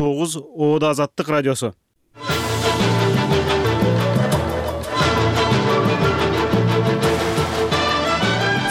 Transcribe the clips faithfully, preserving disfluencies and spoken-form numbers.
тогуз Оодо Азаттык радиосу.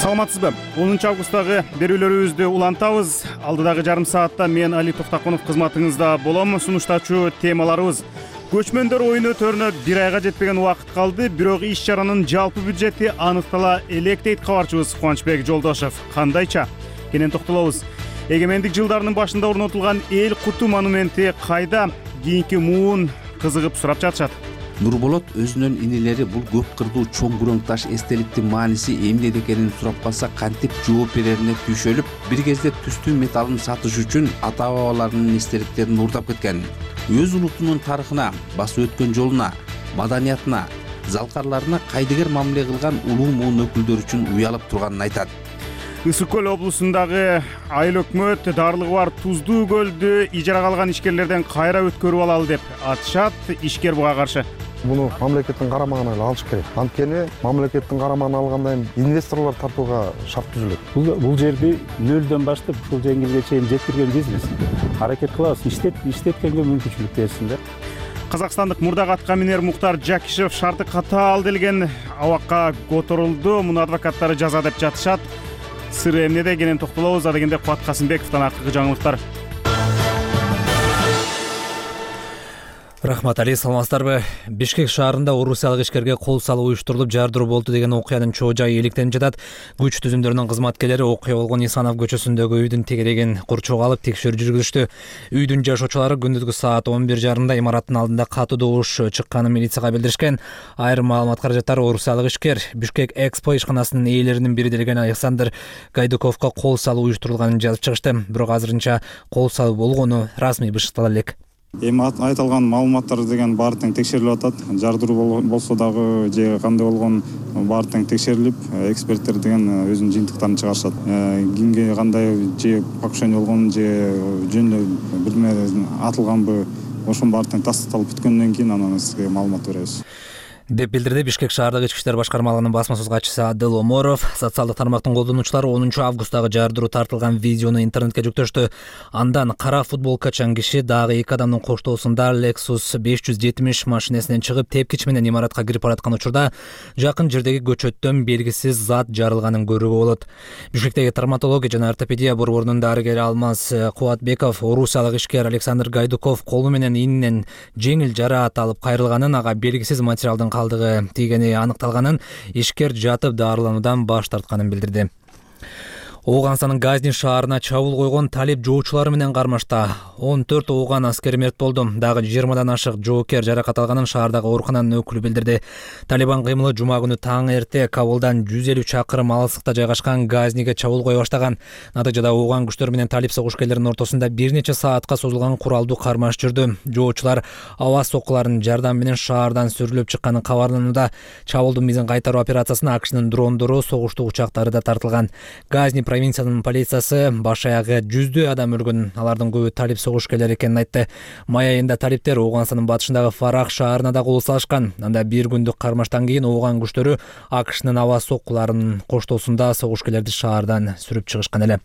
Саламатсызбы? онунчу августтагы берүүлөрүбүздү улантабыз. Алдыдагы жарым саатта мен Али Токтакунов кызматыңызда болом. Сунуштачу темаларыбыз: көчмөндөр оюн өтөрүнө бир айга жетпеген убакыт калды, бирок иш чаранын жалпы бюджети аныктала элек дейт кабарчыбыз Кубанычбек Жолдошев. Кандайча? Кенен токтолобуз. Эгемендик жылдарынын башында орнотулган эл куту монументи кайда? Кийинки муун кызыгып сурап жатышат. Нурболот өзүнүн инелери бул көп кырдуу чоң күрөң таш эстеликтин мааниси эмнеде экенин сурап калса кантип жооп берерине түйшөлүп, бир кезде түстүү металлын сатыш үчүн ата бабаларынын эстеликтерин уурдап кеткен. Өз улутунун тарыхына, басып өткөн жолуна, маданиятына, залкарларына кайдыгер мамиле кылган улуу муун өкүлдөр үчүн уялып турганын айтат. Ысык көл облусундагы айыл өкмөт дарылыгы бар Туздуу көлдү ижарага алган ишкерлерден кайра өткөрүп алалы деп атышат. Ишкер буга каршы: Буну мамлекеттин карамагына алыш керек. Анткени мамлекеттин карамагына алгандан кийин инвесторлор тартууга шарт түзүлөт. Бул бул жерди нөлдөн баштап ушул жеңилге чейин жеткирген бизнес. Аракет кылабыз, иштет иштеткенге мүмкүнчүлүк берсиндер. Казакстандык мурдак атка минер Муктар Жакишев шарты катаал делген абакка которулду. Муну адвокаттары жаза деп жатышат. Сыры эмнеде? Кенен токтолобуз. Адегенде Кубат Касымбековдон акыркы жаңылыктар. Рахмат, Али, саламатсыздарбы? Бишкек шаарында орусиялык ишкерге кол салуу уюштурулуп жардыруу болду деген окуянын чоо жайы иликтенип жатат. Күч түзүмдөрүнүн кызматкерлери окуя болгон Исанов көчөсүндөгү үйдүн тегерегин курчоого алып текшерүү жүргүзүштү. Үйдүн жашоочулары күндүзгү саат он бир жарымда имараттын алдында катуу добуш чыкканын милицияга билдиришкен. Айрым маалымат каражаттары орусиялык ишкер Бишкек Экспо ишканасынын ээлеринин бири делген Александр Гайдуковго кол салуу уюштурулганын жазып чыгышты. Бирок азырынча кол салуу болгону расмий бышыктала элек. Эми айтылган маалыматтар деген баары тең текшерилип атат. Жардыруу болсо дагы же кандай болгон баары тең текшерилип, эксперттер деген өзүнүн жыйынтыктарын чыгарышат. Кимге кандай же покушение болгон же жөн бирме атылганбы, ошонун баары тең тастыкталып бүткөндөн кийин анан сизге маалымат беребиз деп билдирди Бишкек шаардык ички иштер башкармалыгынын басма сөз катчысы Адыл Оморов. Социалдык тармактын колдонуучулары онунчу августтагы жардыруу тартылган видеону интернетке жүктөштү. Андан кара футболкачан киши дагы эки адамдын коштоосунда Lexus беш жүз жетимиш машинесинен чыгып, тепкич менен имаратка кирип бараткан учурда жакын жердеги көчөттөн белгисиз зат жарылганын көрүүгө болот. Бишкектеги травматология жана ортопедия борборунун дарыгери Алмаз Кубатбеков орусиялык ишкер Александр Гайдуков колу менен ининен жеңил жараат алып кайрылганын, ага белгисиз материалдын калдыгы тийгени аныкталганын, ишкер жатып дарылануудан баш тартканын билдирди. Ооганстанын Газни шаарына чабуул койгон талип жоочулары менен кармашта он төрт ооган аскер мерт болду. Дагы жыйырмадан ашык жоокер жаракат алганын шаардагы оорукананын өкүлү билдирди. Талибан кыймылы жума күнү таң эрте Кабулдан жүз элүү чакырым алыстыкта жайгашкан Газниге чабуул кое баштаган. Натыйжада ооган күчтөр менен талип согушкерлеринин ортосунда бир нече саатка созулган куралдуу кармаш жүрдү. Жоочулар аба соккуларынын жардамы менен шаардан сүрүлүп чыкканы кабарланууда. Чабуулдун мизин кайтаруу операциясына АКШнын дрондору, согуштуу учактары да тартылган. Газни провинциянын полициясы баш аягы жүздөө адам өлгөн, алардын көбү талип согушкерлери экенин айтты. Май айында талиптер Ооганстандын батышындагы Фарах шаарына да кол салышкан. Анда бир күндүк кармаштан кийин ооган күчтөрү АКШнын аба соккуларынын коштоосунда согушкерлерди шаардан сүрүп чыгышкан эле.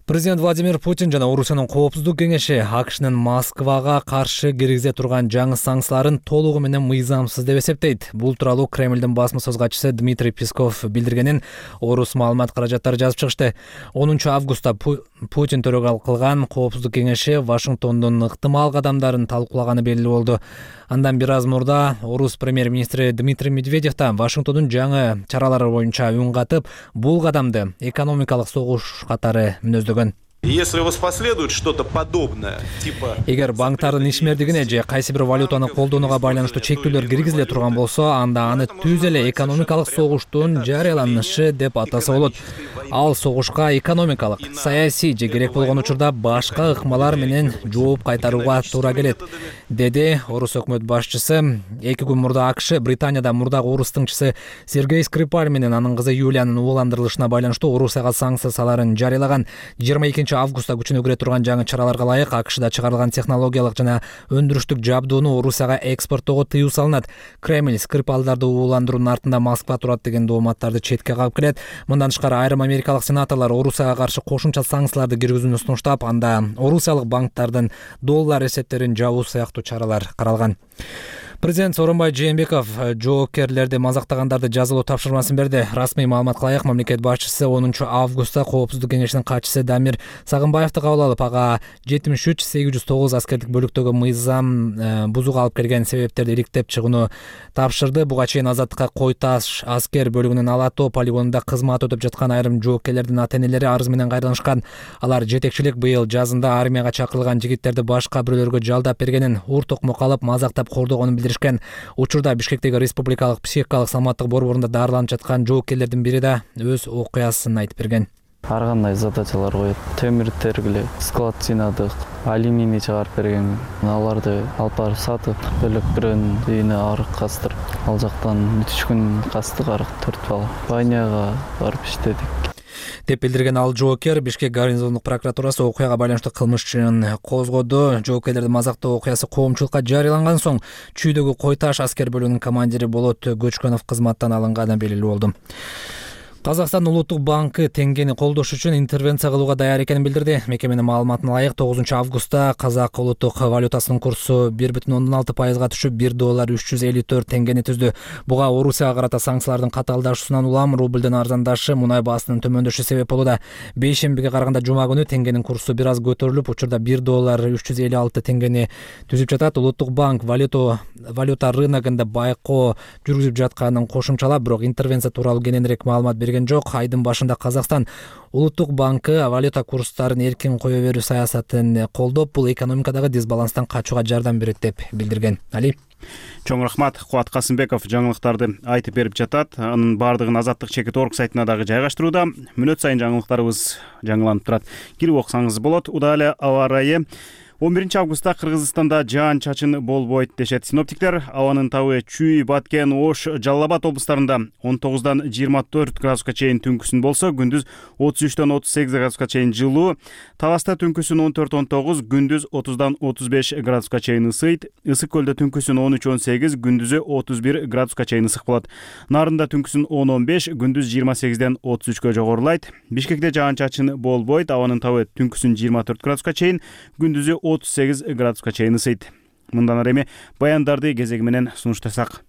Президент Владимир Путин жана Орусиянын коопсуздук кеңеши АКШнын Москвага каршы киргизе турган жаңы санкцияларын толугу менен мыйзамсыз деп эсептейт. Бул тууралуу Кремлдин басма сөз катчысы Дмитрий Песков билдиргенин орус маалымат каражаттары жазып чыгышты. онунчу августта Путин төрөгал кылган коопсуздук кеңеши Вашингтондун ыктымал кадамдарын талкуулаганы белгилүү болду. Андан бир аз мурда орус премьер-министри Дмитрий Медведев да Вашингтондун жаңы чаралары боюнча үн катып, бул кадамды экономикалык согуш катары мүнөздөгөн. Если воспоследует что-то подобное, типа... Эгер банктардын ишмердигине же кайсы бир валютаны колдонууга байланыштуу чектөөлөр киргизиле турган болсо, анда аны түз эле экономикалык согуштун жарыяланышы деп атаса болот. Ал согушка экономикалык, саясий же керек болгон учурда башка ыкмалар менен жооп кайтарууга туура келет. деди орус өкмөт башчысы. Эки күн мурда АКШ Британияда мурдагы орус тыңчысы Сергей Скрипаль менен анын кызы Юлиянын ууландырылышына байланыштуу Орусияга санкция саларын жарыялаган. жыйырма экинчи августта күчүнө кире турган жаңы чараларга ылайык АКШда чыгарылган технологиялык жана өндүрүштүк жабдууну Орусияга экспорттоого тыюу салынат. Кремль Скрипалдарды ууландыруунун артында Москва турат деген дооматтарды четке кагып келет. Мындан тышкары айрым америкалык сенаторлор Орусияга каршы кошумча санкцияларды киргизүүнү сунуштап, анда орусиялык банктардын доллар эсептерин жабуу сыяктуу чаралар каралган. Президент Сооронбай Жээнбеков жоопкерлерди мазактагандарды жазалоо тапшырмасын берди. Расмий маалыматка ылайык, мамлекет башчысы онунчу августта Коопсуздук кеңешинин катчысы Дамир Сагынбаевди кабыл алып, ага жетимиш үч сегиз жүз тогуз аскердик бөлүктөгү мыйзам бузууга алып келген себептерди иликтеп чыгууну тапшырды. Буга чейин Азаттыкка Кой Таш аскер бөлүгүнүн Ала Тоо полигонунда кызмат өтөп жаткан айрым жоопкерлердин ата-энелери арыз менен кайрылышкан. Алар жетекчилик быйыл жазында армияга чакырылган жигиттерди башка бирөөлөргө жалдап бергенин, ур токмок алып мазактап кордогонун билдиришкен. Учурда Бишкектеги Республикалык психикалык саламаттык борборунда дарыланып жаткан жоопкерлердин бири да өз окуясын айтып берген. Ар кандай задачалар коет. Темир тергиле, склад жыйнадык, алюминий чыгарып берген. Аларды алып барып сатып, бөлөк бирөөнүн үйүнө арык кастырып, ал жактан үч күн кастык арык төрт бала. Баняга барып иштедик деп билдирген ал жоокер. Бишкек гарнизондук прокуратурасы окуяга байланыштуу кылмыш ишин козгоду. Жоокерлерди мазактоо окуясы коомчулукка жарыяланган соң Чүйдөгү Кой Таш аскер бөлүгүнүн командири Болот Көчкөнов кызматтан алынганы белгилүү болду. Казакстан Улуттук банкы теңгени колдош үчүн интервенция кылууга даяр экенин билдирди. Мекеменин маалыматына ылайык, тогузунчу августта казак улуттук валютасынын курсу бир бүтүн ондон алты пайызга түшүп, бир доллар үч жүз элүү төрт теңгени түздү. Буга Орусияга карата санкциялардын катаалдашуусунан улам рублдун арзандашы, мунай баасынын төмөндөшү себеп болууда. Бейшембиге караганда жума күнү теңгенин курсу бир аз көтөрүлүп, учурда бир доллар үч жүз элүү алты теңгени түзүп жатат. Улуттук банк валюта валюта рыногунда байкоо жүргүзүп жатканын кошумчалап, бирок интервенция тууралуу кененирээк маалымат берген жок. Айдын башында Казакстан Улуттук банкы валюта курстарын эркин кое берүү саясатын колдоп, бул экономикадагы дисбаланстан качууга жардам берет деп билдирген. Али Чоң рахмат. Кубат Касымбеков жаңылыктарды айтып берип жатат. Анын баардыгын Азаттык чекит орг сайтына дагы жайгаштырууда. Мүнөт сайын жаңылыктарыбыз жаңыланып турат. Кирип окусаңыз болот. Удале аба ырайы. он биринчи августта Кыргызстанда жаан чачын болбойт дешет синоптиктер. Абанын табы Чүй, Баткен, Ош, Жалал Абад облустарында он тогуздан жыйырма төрт градуска чейин түнкүсүн болсо, күндүз отуз үчтөн отуз сегиз градуска чейин жылуу. Таласта түнкүсүн он төрт он тогуз, күндүз отуздан отуз беш градуска чейин ысыйт. Ысык көлдө түнкүсүн он үч он сегиз, күндүзү отуз бир градуска чейин ысык болот. Нарында түнкүсүн он он беш, күндүз жыйырма сегизден отуз үчкө жогорулайт. Бишкекте жаан чачын болбойт. Абанын табы түнкүсүн жыйырма төрт градуска чейин, күндүзү отуз сегиз градуска чейин ысыйт. Мындан ары эми баяндарды кезеги менен сунуштасак.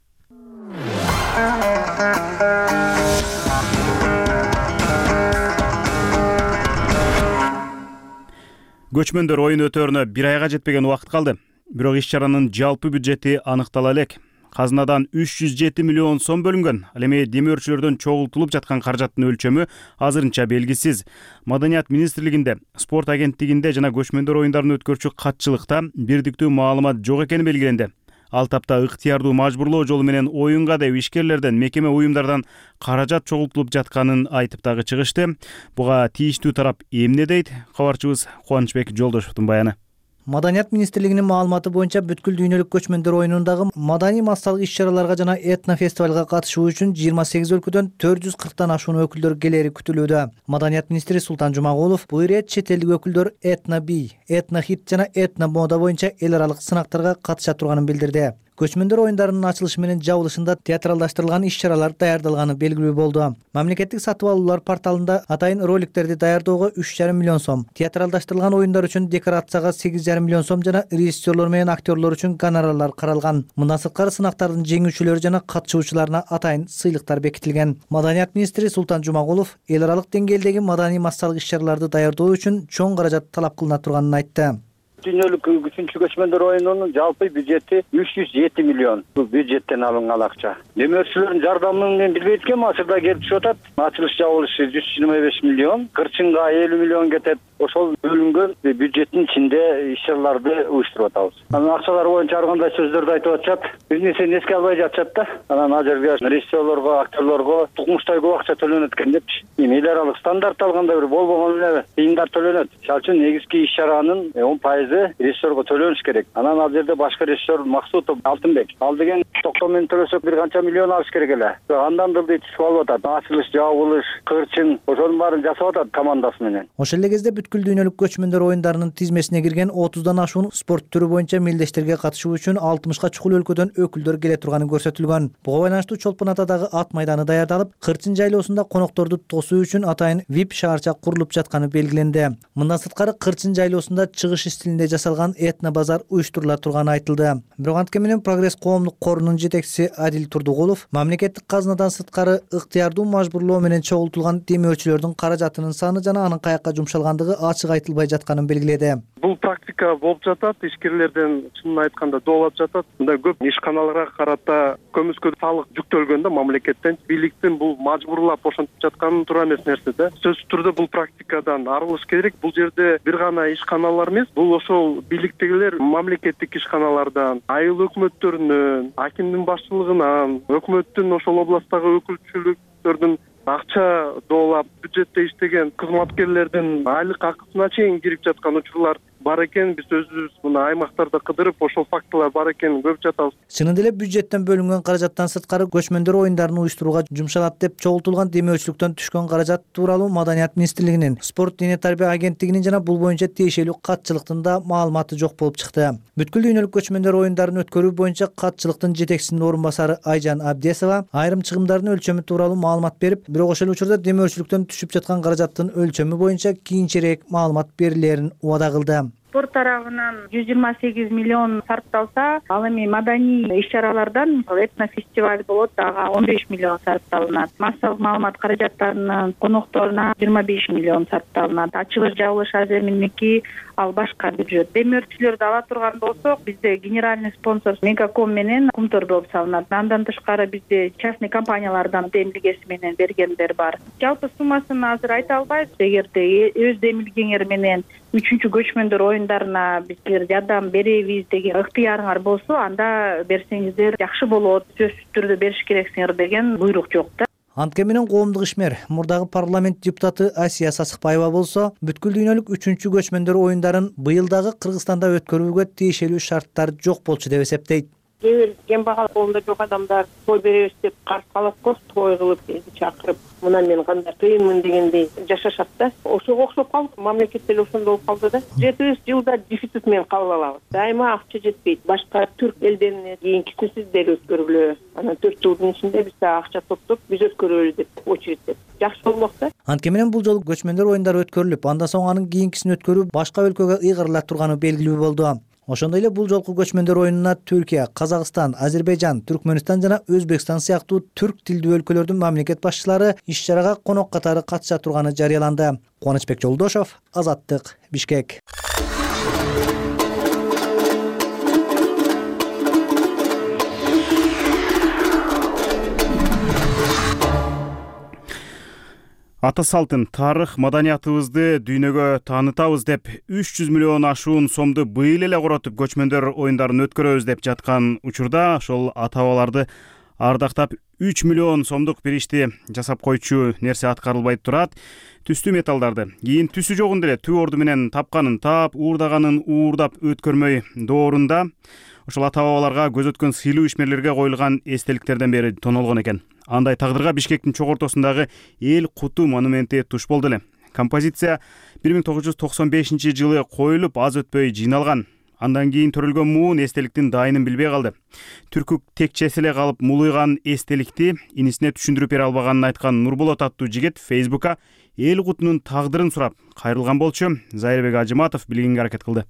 Көчмөндөр оюн өтөрүнө бир айга жетпеген убакыт калды. Бирок иш-чаранын жалпы бюджети аныктала элек. Казынадан үч жүз жети миллион сом бөлүнгөн. Ал эми демөөрчүлөрдөн чогултулуп жаткан каражаттын өлчөмү азырынча белгисиз. Маданият министрлигинде, спорт агенттигинде жана көчмөндөр оюндарын өткөрчү катчылыкта бирдиктүү маалымат жок экени белгиленди. Ал тапта ыктыярдуу мажбурлоо жолу менен оюнга деп ишкерлерден, мекеме уюмдардан каражат чогултулуп жатканын айтып дагы чыгышты. Буга тийиштүү тарап эмне дейт? Кабарчыбыз Кубанычбек Жолдошовдун баяны. Маданият министрлигинин маалыматы боюнча бүткүл дүйнөлүк көчмөндөр оюнундагы маданий массалык иш-чараларга жана этно фестивалга катышуу үчүн жыйырма сегиз өлкөдөн төрт жүз кырктан ашуун өкүлдөр келери күтүлүүдө. Маданият министри Султан Жумагулов бул ирет чет элдик өкүлдөр этно бий, этно хит жана этно мода боюнча эл аралык сынактарга катыша турганын билдирди. Көчмөндөр оюндарынын ачылышы менен жабылышында театралдаштырылган иш-чаралар даярдалганы белгилүү болду. Мамлекеттик сатып алуулар порталында атайын роликтерди даярдоого үч жарым миллион сом, театралдаштырылган оюндар үчүн декорацияга сегиз жарым миллион сом жана режиссерлор менен актерлор үчүн гонорарлар каралган. Мындан сырткары сынактардын жеңүүчүлөрү жана катышуучуларына атайын сыйлыктар бекитилген. Маданият министри Султан Жумагулов эл аралык деңгээлдеги маданий массалык иш-чараларды даярдоо үчүн чоң каражат талап кылына турганын айтты. Дүйнөлүк үчүнчү көчмөндөр оюнунун жалпы бюджети үч жүз жети миллион. Бул бюджеттен алынган акча. Демөөрчүлөрдүн жардамы менен билбейт экен, азырда келип түшүп атат. Ачылыш жабылышы жүз жыйырма беш миллион, кырчынга элүү миллион кетет. ошол бөлүнгөн бюджеттин ичинде иш чараларды уюштуруп атабыз. Анан акчалар боюнча ар кандай сөздөрдү айтып атышат. Биз нерсени эске албай жатышат да. Анан ал жерге режиссерлорго, актерлорго тукмуштай көп акча төлөнөт экен депчи. Эми эл аралык стандарт алганда бир болбогон эле тыйындар төлөнөт. Ал үчүн негизги иш чаранын он пайызы режиссерго төлөнүш керек. Анан ал жерде башкы режиссер Максутов, Алтынбек. Ал деген токтом менен төлөсөк бир канча миллион алыш керек эле. Андан дылды түшүп алып атат. Ачылыш, жабылыш, кырчын ошонун баарын жасап атат командасы менен. Ошол эле кезде бүткүл дүйнөлүк көчмөндөр оюндарынын тизмесине кирген отуздан ашуун спорт түрү боюнча мелдештерге катышуу үчүн алтымышка чукул өлкөдөн өкүлдөр келе турганы көрсөтүлгөн. Буга байланыштуу Чолпон Атадагы ат майданы даярдалып, Кырчын жайлоосунда конокторду тосуу үчүн атайын вип шаарча курулуп жатканы белгиленди. Мындан сырткары Кырчын жайлоосунда чыгыш стилинде жасалган этно базар уюштурула турганы айтылды. Бирок анткени менен Прогресс коомдук корунун жетекчиси Адил Турдугулов мамлекеттик казынадан сырткары ыктыярдуу мажбурлоо менен чогултулган демөөрчүлөрдүн каражатынын саны жана анын каякка жумшалгандыгы ачык айтылбай жатканын белгиледи. Бул практика болуп жатат, ишкерлерден чынын айтканда доолап жатат. Мындай көп ишканаларга карата көмүскө салык жүктөлгөн да мамлекеттен. Бийликтин бул мажбурлап ошентип жатканы туура эмес нерсе да. Сөзсүз түрдө бул практикадан арылыш керек. Бул жерде бир гана ишканалар эмес, бул ошол бийликтегилер мамлекеттик ишканалардан, айыл өкмөттөрүнөн, акимдин башчылыгынан, өкмөттүн ошол областтагы өкүлчүлүктөрдүн акча доолап бюджетте иштеген кызматкерлердин айлык акысына чейин кирип жаткан учурлар бар экен. Биз өзүбүз мына аймактарда кыдырып ошол фактылар бар экенин көрүп жатабыз. Чынында эле бюджеттен бөлүнгөн каражаттан сырткары көчмөндөр оюндарын уюштурууга жумшалат деп чогултулган демөөрчүлүктөн түшкөн каражат тууралуу Маданият министрлигинин, Спорт дене тарбия агенттигинин жана бул боюнча тиешелүү катчылыктын да маалыматы жок болуп чыкты. Бүткүл дүйнөлүк көчмөндөр оюндарын өткөрүү боюнча катчылыктын жетекчисинин орун басары Айжан Абдесова айрым чыгымдардын өлчөмү тууралуу маалымат берип, бирок ошол учурда демөөрчүлүктөн түшүп жаткан каражаттын өлчөмү боюнча кийинчерээк маалымат берилерин убада кылды. Спорт тарабынан жүз жыйырма сегиз миллион сарпталса, ал эми маданий иш-чаралардан этно фестиваль болот, ага он беш миллион сарпталынат. Массалык маалымат каражаттарынын конокторуна жыйырма беш миллион сарпталынат. Ачылыш, жабылыш аземиники, ал башка бюджет. Демөөрчүлөрдү ала турган болсок, бизде генеральный спонсор Мегаком менен Кумтор болуп салынат. Андан тышкары бизде частный компаниялардан демилгеси менен бергендер бар. Жалпы суммасын азыр айта албайбыз. Эгерде өз демилгеңер менен үчүнчү көчмөндөр оюндарына биздер жардам беребиз деген ыктыярыңар болсо, анда берсеңиздер жакшы болот. Сөзсүз түрдө бериш керексиңер деген буйрук жок да. Анткени менен коомдук ишмер, мурдагы парламент депутаты Асия Сасыкбаева болсо, бүткүл дүйнөлүк үчүнчү көчмөндөр оюндарын быйыл дагы Кыргызстанда өткөрүүгө тиешелүү шарттар жок болчу деп эсептейт. Кээ бир кембагал колунда жок адамдар той беребиз деп каршы калат го, той кылып элди чакырып, мына мен кандай кыйынмын дегендей жашашат да. Ошого окшоп калып, мамлекет деле ошондой болуп калды да. Жети жылда дефицит менен калып алабыз. Дайыма акча жетпейт. Башка түрк элдерине кийинкисин сиз деле өткөргүлө. Анан төрт жылдын ичинде биз акча топтоп, биз өткөрөлү деп очередте. Жакшы болмок да. Анткени менен бул жолу көчмөндөр оюндары өткөрүлүп, андан соң анын кийинкисин өткөрүү башка өлкөгө ыйгарыла турганы белгилүү болду. Ошондой эле бул жолку көчмөндөр оюнуна Түркия, Казакстан, Азербайжан, Түркмөнстан жана Өзбекстан сыяктуу түрк тилдүү өлкөлөрдүн мамлекет башчылары иш-чарага конок катары катыша турганы жарыяланды. Кубанычбек Жолдошов, Азаттык, Бишкек. Ата салтын, тарых, маданиятыбызды дүйнөгө таанытабыз деп үч жүз миллион ашуун сомду быйыл эле коротуп көчмөндөр оюндарын өткөрөбүз деп жаткан учурда ошол ата-бабаларды ардактап үч миллион сомдук бир ишти жасап койчу нерсе аткарылбай турат. Түстүү металлдарды кийин түсү жогун деле түп орду менен тапканын тап, уурдаганын уурдап өткөрмөй доорунда ошол ата-бабаларга көз өткөн сыйлуу ишмерлерге коюлган эстеликтерден бери тонолгон экен. Андай тагдырга Бишкектин чок ортосундагы эл куту монументи туш болду эле. Композиция бир миң тогуз жүз токсон бешинчи жылы коюлуп, аз өтпөй жыйналган. Андан кийин төрөлгөн муун эстеликтин дайынын билбей калды. Түркүк текчеси эле калып мулуйган эстеликти инисине түшүндүрүп бере албаганын айткан Нурболот аттуу жигит Фейсбукка эл кутунун тагдырын сурап кайрылган болчу. Зайырбек Ажыматов билгенге аракет кылды.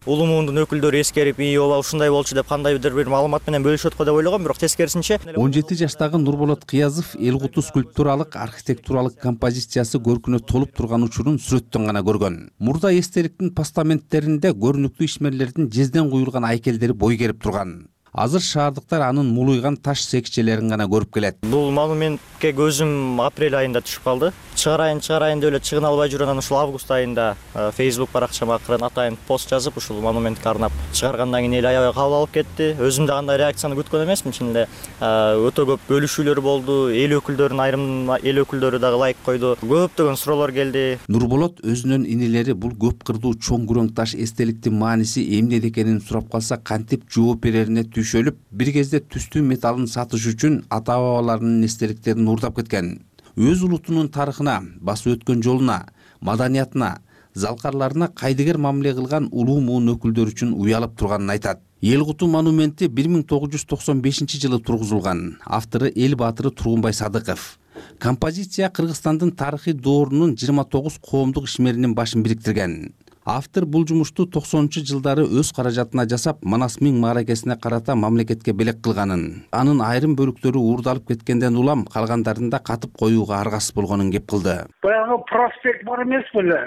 Улуу муундун өкүлдөрү эскерип, ии ооба ушундай болчу деп кандайдыр бир маалымат менен бөлүшөт го деп ойлогом, бирок тескерисинче он жети жаштагы Нурболот Кыязов эл куту скульптуралык, архитектуралык композициясы көркүнө толуп турган учурун сүрөттөн гана көргөн. Мурда эстеликтин постаменттеринде көрүнүктүү ишмерлердин жезден куюлган айкелдери бой керип турган. Азыр шаардыктар анын мулуйган таш секчелерин гана көрүп келет. Бул монументке көзүм апрель айында түшүп калды. чыгарайын чыгарайын деп эле чыгына албай жүрүп анан ушул август айында Facebook баракчама акырын атайын пост жазып ушул монументке арнап чыгаргандан кийин эл аябай кабыл алып кетти. Өзүм да кандай реакцияны күткөн эмесмин. Чын эле өтө көп бөлүшүүлөр болду. Эл өкүлдөрүнүн айрым эл өкүлдөрү дагы лайк койду. Көптөгөн суроолор келди. Нурболот өзүнүн инилери бул көп кырдуу чоң күрөң таш эстеликтин мааниси эмнеде экенин сурап калса кантип жооп берерине түйшөлүп, бир кезде түстүү металлын сатыш үчүн ата бабаларынын эстеликтерин уурдап кеткен. Өз улутунун тарыхына, басып өткөн жолуна, маданиятына, залкарларына кайдыгер мамиле кылган улуу муун өкүлдөр үчүн уялып турганын айтат. Эл Куту монументи бир миң тогуз жүз токсон бешинчи жылы тургузулган. Автору эл баатыры Тургунбай Садыков. Композиция Кыргызстандын тарыхый доорунун жыйырма тогуз коомдук ишмеринин башын бириктирген. Автор бул жумушту токсонунчу жылдары өз каражатына жасап, Манас миң мааракесине карата мамлекетке белек кылганын, анын айрым бөлүктөрү уурдалып кеткенден улам калгандарында катып коюуга аргасыз болгонун кеп кылды. Баягы проспект бар эмес беле?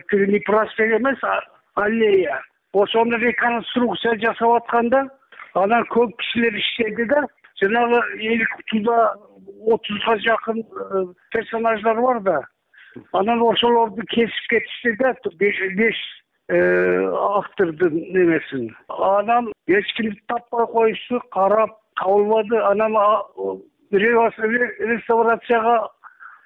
Тиги проспект эмес, аллея. Ошону реконструкция жасап атканда, анан көп кишилер иштеди да, жанагы Эл Кутуда отузга жакын персонаждар бар да. Анан ошолорду кесип кетишти да, беш автордун немесин. Анан эч кимди таппай коюшту, карап кабылбады. Анан реставрацияга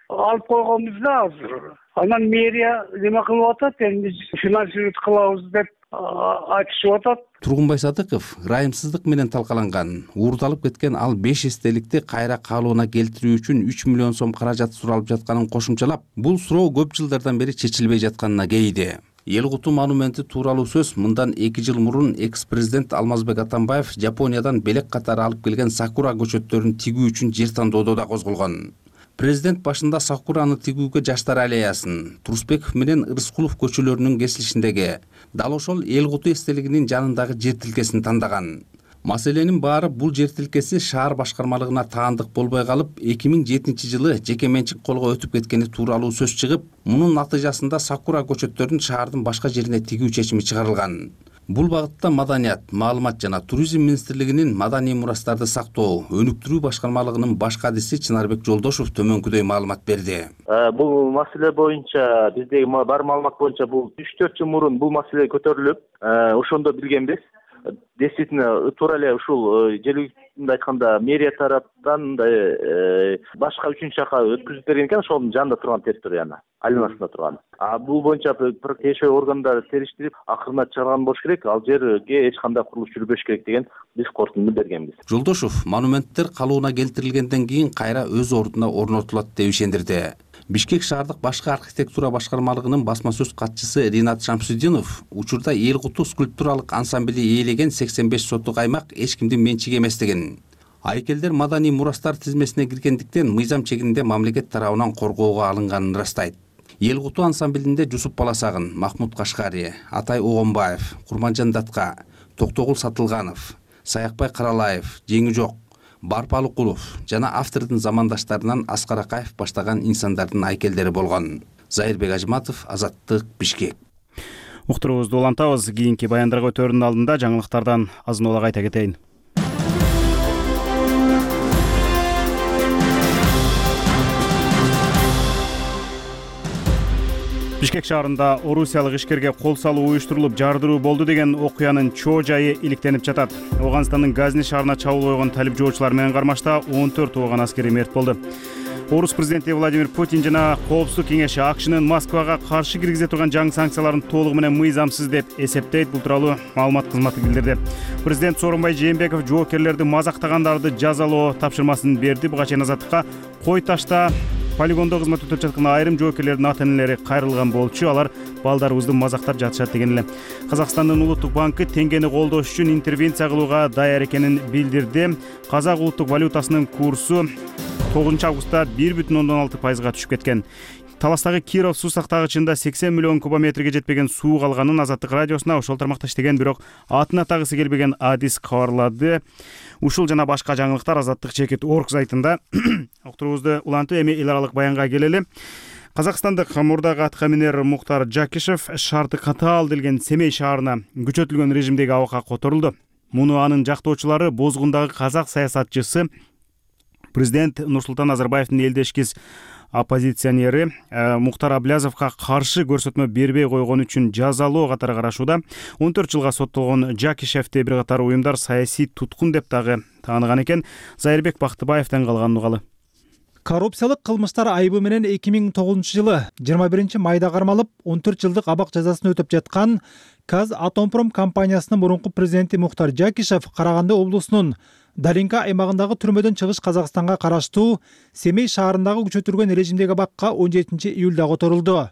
алып койгонбуз да азыр. Анан мэрия неме кылып атат, эми финансировать кылабыз деп айтышып атат. Тургунбай Садыков ырайымсыздык менен талкаланган, уурдалып кеткен ал беш эстеликти кайра калыбына келтирүү үчүн үч миллион сом каражат суралып жатканын кошумчалап, бул суроо көп жылдардан бери чечилбей жатканына кейди. Эл Куту монументи тууралуу сөз мындан эки жыл мурун экс-президент Алмазбек Атамбаев Жапониядан белек катары алып келген сакура көчөттөрүн тигүү үчүн жер тандоодо да козголгон. Президент башында сакураны тигүүгө Жаштар аллеясын, Турсбеков менен Ырыскулов көчөлөрүнүн кесилишиндеги, дал ошол Эл Куту эстелигинин жанындагы жер тилкесин тандаган. Маселенин баары бул жер тилкеси шаар башкармалыгына таандык болбой калып, эки миң жетинчи жылы жеке менчик колго өтүп кеткени тууралуу сөз чыгып, мунун натыйжасында сакура көчөттөрүн шаардын башка жерине тигүү чечими чыгарылган. Бул багытта Маданият, маалымат жана туризм министрлигинин маданий мурастарды сактоо, өнүктүрүү башкармалыгынын баш кадиси Чынарбек Жолдошов төмөнкүдөй маалымат берди. Бул маселе боюнча биздеги бар маалымат боюнча бул үч төрт жыл мурун бул маселе көтөрүлүп, ошондо билгенбиз. Действительно, туура эле ушул жергиликтүү айтканда мэрия тараптан мындай башка үчүнчү жака өткүзүп берген экен, ошонун жанында турган территорияны, айланасында турган. А бул боюнча тиешелүү органдар териштирип, акырына чыгарган болуш керек, ал жерге эч кандай курулуш жүрбөш керек деген биз корутунду бергенбиз. Жолдошов монументтер калыбына келтирилгенден кийин кайра өз ордуна орнотулат деп ишендирди. Бишкек шаардык башкы архитектура башкармалыгынын басма сөз катчысы Ринат Шамсуддинов учурда Эл Куту скульптуралык ансамбли ээлеген сексен беш сотук аймак эч кимдин менчиги эместигин, айкелдер маданий мурастар тизмесине киргендиктен мыйзам чегинде мамлекет тарабынан коргоого алынганын ырастайт. Эл Куту ансамблинде Жусуп Баласагын, Махмуд Кашкари, Атай Огонбаев, Курманжан Датка, Токтогул Сатылганов, Саякбай Каралаев, Жеңи Жок, Барпалыкулов жана автордун замандаштарынан Аскар Акаев баштаган инсандардын айкелдери болгон. Зайырбек Ажматов, Азаттык, Бишкек. Уктуруубузду улантабыз. Кийинки баяндарга өтөрүнүн алдында жаңылыктардан азын улак айта кетейин. Бишкек шаарында орусиялык ишкерге кол салуу уюштурулуп жардыруу болду деген окуянын чоо жайы иликтенип жатат. Ооганстандын Газни шаарына чабуул койгон талип жоочулар менен кармашта он төрт ооган аскери мерт болду. Орус президенти Владимир Путин жана Коопсуздук кеңеши АКШнын Москвага каршы киргизе турган жаңы санкцияларын толугу менен мыйзамсыз деп эсептейт. Бул тууралуу маалымат кызматы билдирди. Президент Сооронбай Жээнбеков жоокерлерди мазактагандарды жазалоо тапшырмасын берди. Буга чейин Азаттыкка Кой Ташта полигондо кызмат өтөп жаткан айрым жоокерлердин ата-энелери кайрылган болчу. Алар балдарыбызды мазактап жатышат деген эле. Казакстандын Улуттук банкы теңгени колдош үчүн интервенция кылууга даяр экенин билдирди. Казак улуттук валютасынын курсу тогузунчу августта бир бүтүн ондон алты пайызга түшүп кеткен. Таластагы Киров суу сактагычында сексен миллион кубометрге жетпеген суу калганын Азаттык радиосуна ошол тармакта иштеген бирок атын атагысы келбеген адис кабарлады. Ушул жана башка жаңылыктар Азаттык чекит орг сайтында. Уктуруубузду улантып эми эл аралык баянга келели. Казакстандык мурдагы аткаминер Муктар Жакишев шарты катаал делген Семей шаарына күчөтүлгөн режимдеги абакка которулду. Муну анын жактоочулары бозгундагы казак саясатчысы Президент Нурсултан Назарбаевдин элдешкис оппозиционери Мухтар Аблязовго каршы көрсөтмө бербей койгон үчүн жазалоо катары карашууда. он төрт жылга соттолгон Жакишевди бир катар уюмдар саясий туткун деп дагы тааныган экен. Зайырбек Бактыбаевден калган угалы. Коррупциялык кылмыштар айыбы менен эки миң тогузунчу жылы жыйырма биринчи майда кармалып, он төрт жылдык абак жазасын өтөп жаткан Казатомпром компаниясынын мурунку президенти Мухтар Жакишев Караганды облусунун Даринка аймагындагы түрмөдөн чыгыш Казакстанга караштуу Семей шаарындагы күчөтүлгөн режимдеги абакка он жетинчи июлда которулду.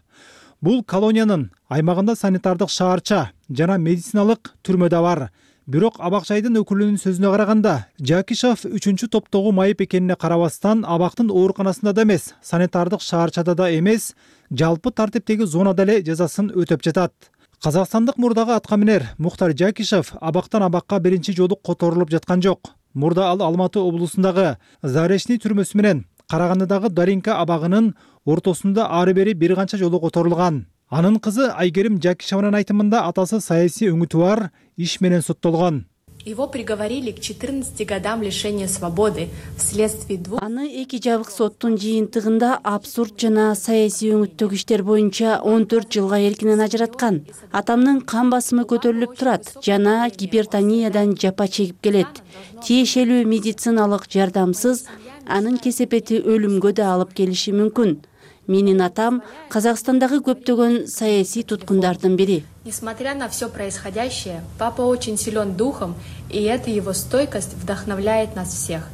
Бул колониянын аймагында санитардык шаарча жана медициналык түрмө да бар. Бирок абак жайдын өкүлүнүн сөзүнө караганда, Жакишев үчүнчү топтогу майып экенине карабастан абактын ооруканасында да эмес, санитардык шаарчада да эмес, жалпы тартиптеги зонада эле жазасын өтөп жатат. Казакстандык мурдагы аткаминер Мухтар Жакишев абактан абакка биринчи жолу которулуп жаткан жок. Мурда ал Алматы облусундагы Заречный түрмөсү менен Карагандыдагы Даринка абагынын ортосунда ары бери бир канча жолу которулган. Анын кызы Айгерим Жакишеванын айтымында атасы саясий өңүтү бар иш менен соттолгон. Его приговорили к четырнадцати годам лишения свободы вследствие двух. Аны эки жабык соттун жыйынтыгында абсурд жана саясий өңүттөгү иштер боюнча он төрт жылга эркинен ажыраткан. Атамдын кан басымы көтөрүлүп турат жана гипертониядан жапа чегип келет. Тиешелүү медициналык жардамсыз анын кесепети өлүмгө да алып келиши мүмкүн. Менин атам Казакстандагы көптөгөн саясий туткундардын бири. Несмотря на все происходящее, папа очень силен духом, и эта его стойкость вдохновляет нас всех.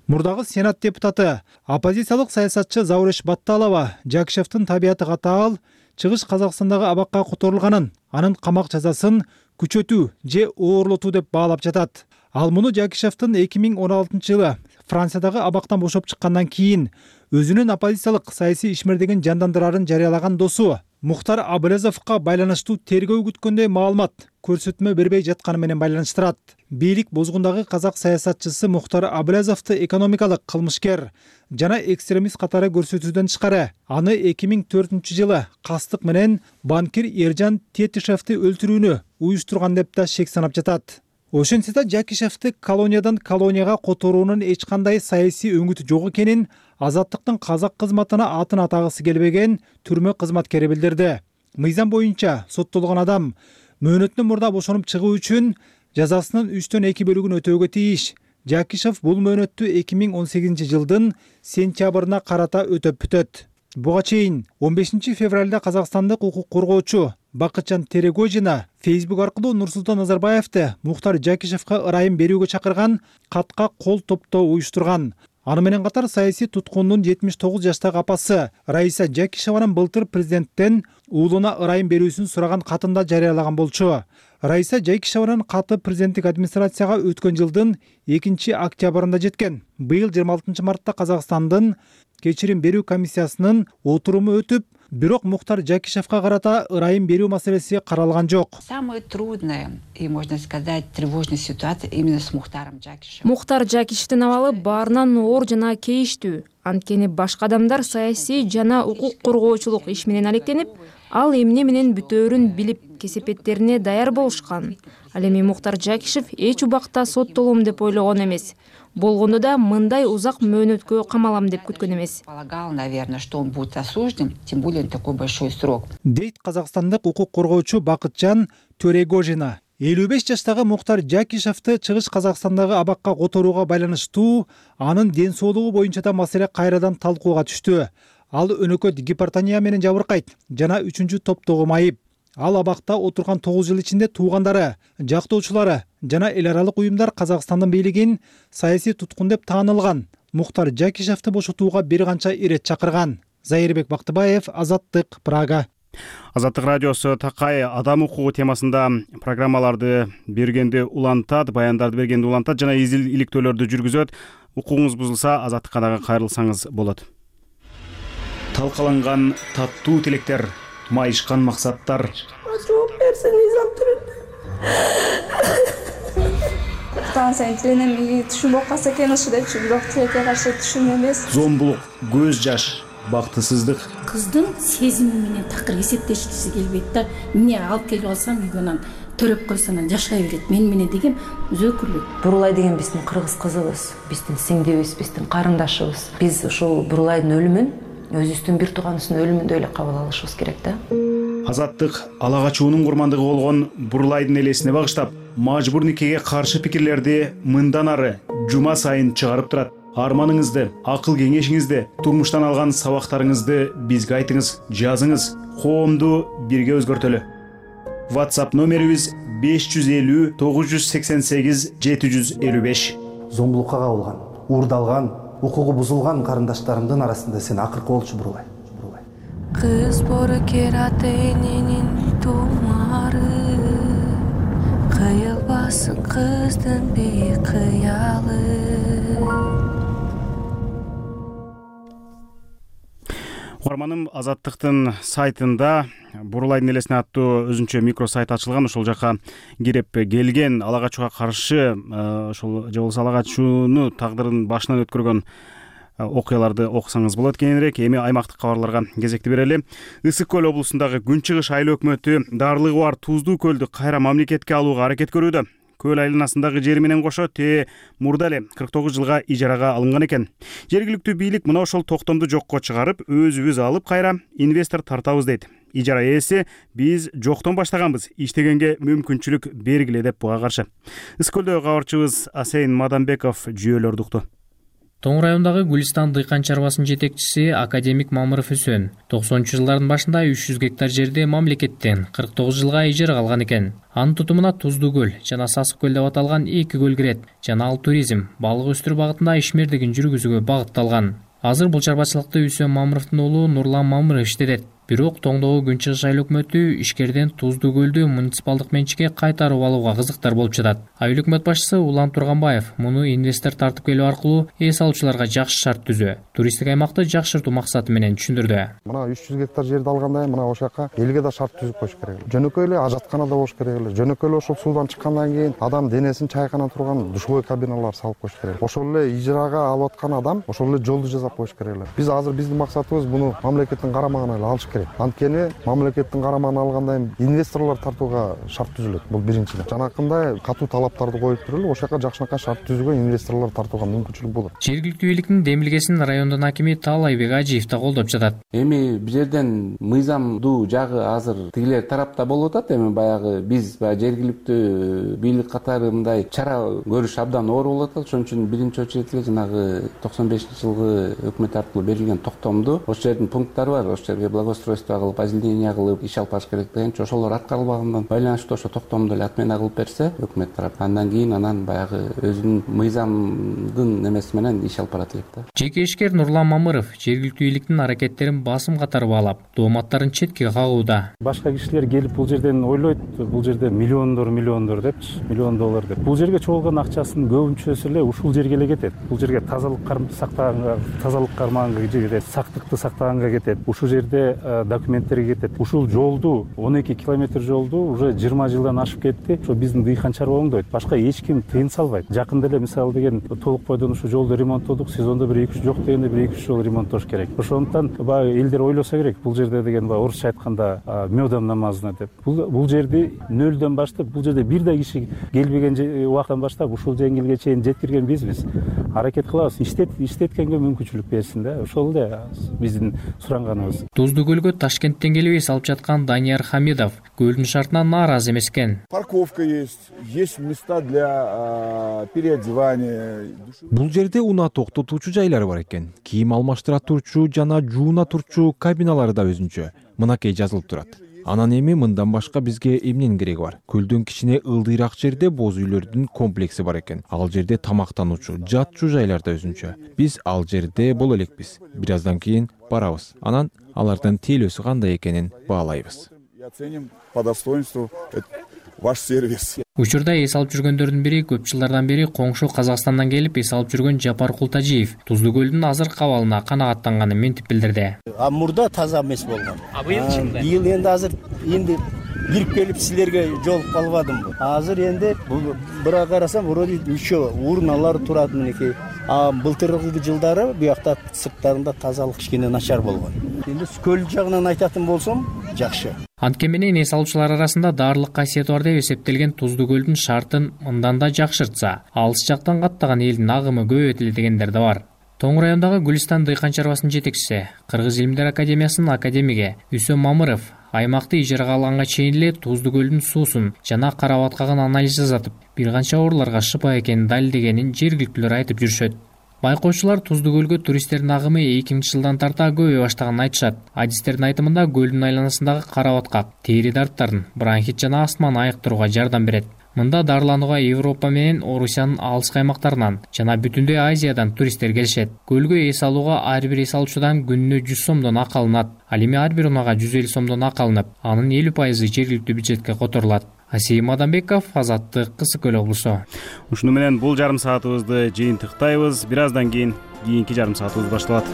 Мурдагы сенат депутаты, оппозициялык саясатчы Зауреш Батталова Жакишевдин табияты катаал чыгыш Казакстандагы абакка которулганын, анын камак жазасын күчөтүү же оорлотуу деп баалап жатат. Ал муну Жакишевдин эки миң он алтынчы жылы Франциядагы абактан бошоп чыккандан кийин өзүнүн оппозициялык саясий ишмердигин жандандырарын жарыялаган досу Мухтар Аблязовго байланыштуу тергөө күткөндөй маалымат көрсөтмө бербей жатканы менен байланыштырат. Бийлик бозгундагы казак саясатчысы Мухтар Аблязовду экономикалык кылмышкер жана экстремист катары көрсөтүүдөн тышкары аны эки миң төртүнчү жылы кастык менен банкир Эржан Тетишевди өлтүрүүнү уюштурган деп да шек санап жатат. Ошентсе да Жакишевди колониядан колонияга которуунун эч кандай саясий өңүтү жок экенин Азаттыктын казак кызматына атын атагысы келбеген түрмө кызматкери билдирди. Мыйзам боюнча соттолгон адам мөөнөтүнөн мурда бошонуп чыгуу үчүн жазасынын үчтөн эки бөлүгүн өтөөгө тийиш. Жакишев бул мөөнөттү эки миң он сегизинчи жылдын сентябрына карата өтөп бүтөт. Буга чейин он бешинчи февралда Казакстандык укук коргоочу Бакытжан Терегожина Facebook аркылуу Нурсултан Назарбаевди Мухтар Жакишевге ырайым берүүгө чакырган катка кол топтоо уюштурган. Аны менен катар саясий туткундун жетимиш тогуз жаштагы апасы Раиса Жакишеванын былтыр президенттен уулуна ырайым берүүсүн сураган катында жарыялаган болчу. Раиса Жакишеванын каты президенттик администрацияга өткөн жылдын экинчи октябрында жеткен. Быйыл жыйырма алтынчы мартта Казакстандын кечирим берүү комиссиясынын отуруму өтүп, бирок Мухтар Жакишевге карата ырайым берүү маселеси каралган жок. Самая трудная и, можно сказать, тревожная ситуация именно с Мухтаром Жакишевым. Мухтар Жакишевдин абалы баарынан оор жана кейиштүү. Анткени башка адамдар саясий жана укук коргоочулук иш менен алектенип, ал эмне менен бүтөөрүн билип, кесепеттерине даяр болушкан. Ал эми Мухтар Жакишев эч убакта соттолом деп ойлогон эмес. Болгондо да мындай узак мөөнөткө камалам деп күткөн эмес. Полагал, наверное, что он будет осужден, тем более такой большой срок. Дейт казакстандык укук коргоочу Бакытжан Терегожина. элүү беш жаштагы Мухтар Жакишевди чыгыш Казакстандагы абакка которууга байланыштуу анын ден соолугу боюнча да маселе кайрадан талкууга түштү. Ал өнөкөт гипертония менен жабыркайт жана үчүнчү топтогу майып. Ал абакта отурган тогуз жыл ичинде туугандары, жактоочулары жана эл аралык уюмдар Казакстандын бийлигин саясий туткун деп таанылган. Мухтар Жакишевди бошотууга бир канча ирет чакырган. Зайырбек Бактыбаев, Азаттык, Прага. Азаттык радиосу такай адам укугу темасында программаларды бергенди улантат, баяндарды бергенди улантат жана иликтөөлөрдү жүргүзөт. Укугуңуз бузулса, Азаттыкка дагы кайрылсаңыз болот. Талкаланган таттуу тилектер, майышкан максаттар. Жооп берсеңиз Таансайын тилене мени түшүнбөп калса экен ушу депчи, бирок тилекке каршы түшүм эмес. Зомбулук, көз жаш, бактысыздык. Кыздын сезими менен такыр эсептешкиси келбейт да. Эмне алып келип алсам үйгө анан төлөп койсо анан жашай берет. Мен менен деген өзөкүлүк. Бурулай деген биздин кыргыз кызыбыз, биздин сиңдибиз, биздин карындашыбыз. Биз ушул Бурулайдын өлүмүн өзүбүздүн бир тууганыбыздын өлүмүндөй эле кабыл алышыбыз керек да. Азаттык ала качуунун курмандыгы болгон Бурулайдын элесине багыштап, мажбур никеге каршы пикирлерди мындан ары жума сайын чыгарып турат. Арманыңызды, акыл кеңешиңизди, турмуштан алган сабактарыңызды бизге айтыңыз, жазыңыз. Коомду бирге өзгөртөлү. WhatsApp номерибиз беш жүз элүү тогуз жүз сексен сегиз жети жүз элүү беш. Зомбулукка кабылган, уурдалган, укугу бузулган карындаштарымдын арасында сен акыркы болчу Бурулай. Кыз бору кераты эненин тумары, кыйылбасын кыздын бейкыялы. Угарманым, Азаттыктын сайтында Бурулайдын элесине аттуу өзүнчө микросайт ачылган. Ошол жака кирип келген ала качууга каршы, ошол же болбосо ала качууну тагдырын башынан өткөргөн окуяларды окусаңыз болот кененирээк. Эми аймактык кабарларга кезекти берели. Ысык көл облусундагы Күн чыгыш айыл өкмөтү дарлыгы бар Туздуу көлдү кайра мамлекетке алууга аракет көрүүдө. Көл айланасындагы жери менен кошо те мурда эле кырк тогуз жылга ижарага алынган экен. Жергиликтүү бийлик мына ошол токтомду жокко чыгарып, өзүбүз алып кайра инвестор тартабыз дейт. Ижара ээси биз жоктон баштаганбыз, иштегенге мүмкүнчүлүк бергиле деп буга каршы. Ысык көлдөгү кабарчыбыз Асейн Маданбеков жүйөлөрдү укту. Тоң райондагы Гүлистан дыйкан чарбасынын жетекчиси академик Мамыров Үсөн токсонунчу жылдардын башында үч жүз гектар жерди мамлекеттен кырк тогуз жылга ижарага алган экен. Анын тутумуна Туздуу көл жана Сасык көл деп аталган эки көл кирет жана ал туризм, балык өстүрүү багытында ишмердигин жүргүзүүгө багытталган. Азыр бул чарбачылыкты Үсөн Мамыровдун уулу Нурлан Мамыров иштетет. Бирок Тоңдогу Күн чыгыш айыл өкмөтү ишкерден Туздуу көлдү муниципалдык менчикке кайтарып алууга кызыктар болуп жатат. Айыл өкмөт башчысы Улан Турганбаев муну инвестор тартып келүү аркылуу эс алуучуларга жакшы шарт түзүү, туристтик аймакты жакшыртуу максаты менен түшүндүрдү. Мына үч жүз гектар жерди алгандай мына ошол жака элге да шарт түзүп коюш керек. Жөнөкөй эле ажаткана да болуш керек эле. Жөнөкөй эле ошол суудан чыккандан кийин адам денесин чайкана турган душевой кабиналар салып коюш керек. Ошол эле ижарага алып аткан адам ошол эле жолду жасап коюш керек эле. Биз азыр биздин максатыбыз муну мамлекеттин карамагына эле алыш керек. Анткени мамлекеттин карамагына алгандан кийин инвесторлор тартууга шарт түзүлөт. Бул биринчиден. Жанакындай катуу талаптарды коюп туруп, ошол жака жакшынакай шарт түзүүгө инвесторлор тартууга мүмкүнчүлүк болот. Жергиликтүү бийликтин демилгесин райондун акими Таалайбек Ажиев да колдоп жатат. Эми бул жерден мыйзамдуу жагы азыр тигилер тарапта болуп атат. Эми баягы биз баягы жергиликтүү бийлик катары мындай чара көрүш абдан оор болуп атат. Ошон үчүн биринчи очередь эле жанагы токсон бешинчи жылгы өкмөт аркылуу берилген токтомду, ошол жердин пункттары бар, ошол жерге благоустройство кылып, озеленение кылып иш алып барыш керек деген. Ошолор аткарылбагандан байланыштуу ошо токтомду эле отмена кылып берсе өкмөт тарап, андан кийин анан баягы өзүнүн мыйзамдын немеси менен иш алып барат элек да. Жеке ишкер Нурлан Мамыров жергиликтүү бийликтин аракеттерин басым катары баалап, дооматтарын четке кагууда. Башка кишилер келип бул жерден ойлойт, бул жерде миллиондор миллиондор депчи, миллион доллар деп. Бул жерге чогулган акчасынын көбүнчөсү эле ушул жерге эле кетет. Бул жерге тазалык сактаганга, тазалык кармаганга кетет, сактыкты сактаганга кетет. Ушул жерде документтерге кетет. Ушул жолду он эки километр жолду уже жыйырма жылдан ашып кетти. Ошо биздин дыйкан чарба оңдойт. Башка эч ким тыйын салбайт. Жакында эле мисалы деген толук бойдон ушул жолду ремонттодук. Сезондо бир эки үч жок дегенде бир эки үч жол ремонттош керек. Ошондуктан баягы элдер ойлосо керек. Бул жерде деген баягы орусча айтканда мёдом намазына деп. Бул бул жерди нөлдөн баштап, бул жерде бир да киши келбеген убакыттан баштап ушул жеңилге чейин жеткирген бизбиз. Аракет кылабыз. Иштет иштеткенге мүмкүнчүлүк берсин да. Ошол эле биздин суранганыбыз. Туздуу көлгө Ташкенттен келип эс алып жаткан Данияр Хамидов көлдүн шартынан нааразы эмес экен. Парковка есть, есть места для переодевания. Бул жерде унаа токтотуучу жайлар бар экен. Кийим алмаштыра турчу жана жууна турчу кабиналары да өзүнчө. Мынакей жазылып турат. Анан эми мындан башка бизге эмненин кереги бар? Көлдүн кичине ылдыйраак жерде боз үйлөрдүн комплекси бар экен. Ал жерде тамактануучу, жатчу жайлар да өзүнчө. Биз ал жерде боло элекпиз. Бир аздан кийин барабыз. Анан алардын тейлөөсү кандай экенин баалайбыз. Оценим по достоинству ваш сервис. Учурда эс алып жүргөндөрдүн бири көп жылдардан бери коңшу Казакстандан келип эс алып жүргөн Жапар Култажиев Туздуу көлдүн азыркы абалына канагаттанганын мынтип билдирди. А мурда таза эмес болгон. А быйыл быйыл энди азыр энди кирип келип силерге жолугуп калбадымбы? Азыр энди буга карасам вроде ничего, урналар турат, мынекей а былтыркы жылдары буякта сырттарында тазалык кичине начар болгон. Эми көл жагынан айтатын болсом жакшы. Антке менен эс алуучулар арасында даарылык касиети бар деп эсептелген Туздуу көлдүн шартын мындан да жакшыртса, алыс жактан каттаган элдин агымы көбөйтүлө дегендер да бар. Тоң райондагы Гүлистан дыйкан чарбасынын жетекчиси, Кыргыз илимдер академиясынын академиги Үсөм Мамыров аймакты ижарага алганга чейин эле Туздуу көлдүн суусун жана карап аткаган анализ жасатып, бир канча ооруларга шыпа экенин далилдегенин жергиликтүүлөр айтып жүрүшөт. Байкоочулар Туздуу көлгө туристтердин агымы эки миңинчи жылдан тарта көбөйө баштаганын айтышат. Адистердин айтымында көлдүн айланасындагы карабаткак, тери дарттарын, бронхит жана астманы айыктырууга жардам берет. Мында дарыланууга Европа менен Орусиянын алыскы аймактарынан жана бүтүндөй Азиядан туристтер келишет. Көлгө эс алууга ар бир эс алуучудан күнүнө жүз сомдон акы алынат. Ал эми ар бир унаага жүз элүү сомдон акы алынып, анын элүү пайызы жергиликтүү бюджетке которулат. Асейим Адамбеков, Азаттык, Кысык Көл облусу. Ушуну менен бул жарым саатыбызды жыйынтыктайбыз. Бир аздан кийин кийинки жарым саатыбыз башталат.